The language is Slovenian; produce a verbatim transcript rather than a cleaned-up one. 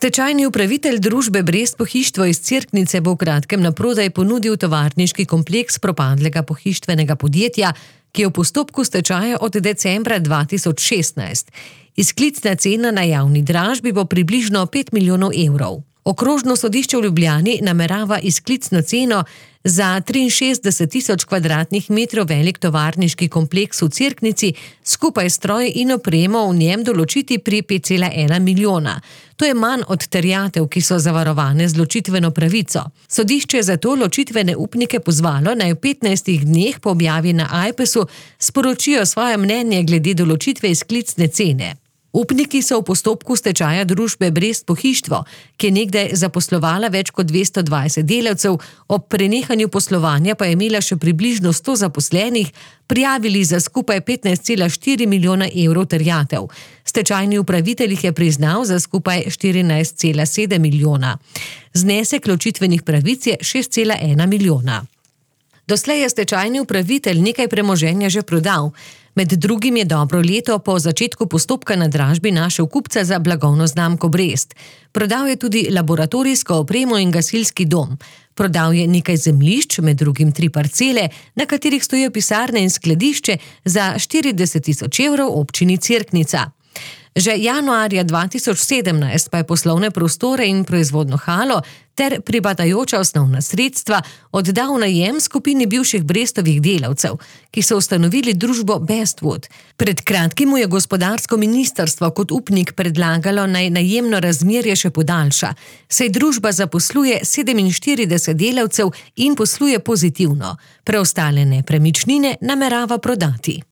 Stečajni upravitelj družbe Brest Pohištvo iz Cerknice bo v kratkem naprodaj ponudil tovarniški kompleks propadlega pohištvenega podjetja, ki je v postopku stečaja od decembra dva tisoč šestnajst. Izklicna cena na javni dražbi bo približno pet milijonov evrov. Okrožno sodišče v Ljubljani namerava izklicno ceno za triinšestdeset tisoč kvadratnih metrov velik tovarniški kompleks v Cerknici skupaj s stroji in opremo v njem določiti pri pet cela ena milijona. To je manj od terjatev, ki so zavarovane z ločitveno pravico. Sodišče je zato ločitvene upnike pozvalo, naj v petnajstih dneh po objavi na Ajpesu sporočijo svoje mnenje glede določitve izklicne cene. Upniki so v postopku stečaja družbe Brest Pohištvo, ki je nekdaj zaposlovala več kot dvesto dvajset delavcev, ob prenehanju poslovanja pa je imela še približno sto zaposlenih, prijavili za skupaj petnajst cela štiri milijona evrov terjatev. Stečajni upravitelj jih je priznal za skupaj štirinajst cela sedem milijona. Znesek ločitvenih pravic je šest cela ena milijona. Doslej je stečajni upravitelj nekaj premoženja že prodal. Med drugim je dobro leto po začetku postopka na dražbi našel kupca za blagovno znamko Brest. Prodal je tudi laboratorijsko opremo in gasilski dom. Prodal je nekaj zemljišč, med drugim tri parcele, na katerih stojijo pisarne in skladišče za štirideset tisoč evrov občini Cerknica. Že januarja dva tisoč sedemnajst pa je poslovne prostore in proizvodno halo ter pripadajoča osnovna sredstva oddal v najem skupini bivših Brestovih delavcev, ki so ustanovili družbo Bestwood. Pred kratkim mu je gospodarsko ministrstvo kot upnik predlagalo, naj najemno razmerje še podaljša, saj družba zaposluje sedeminštirideset delavcev in posluje pozitivno. Preostale nepremičnine namerava prodati.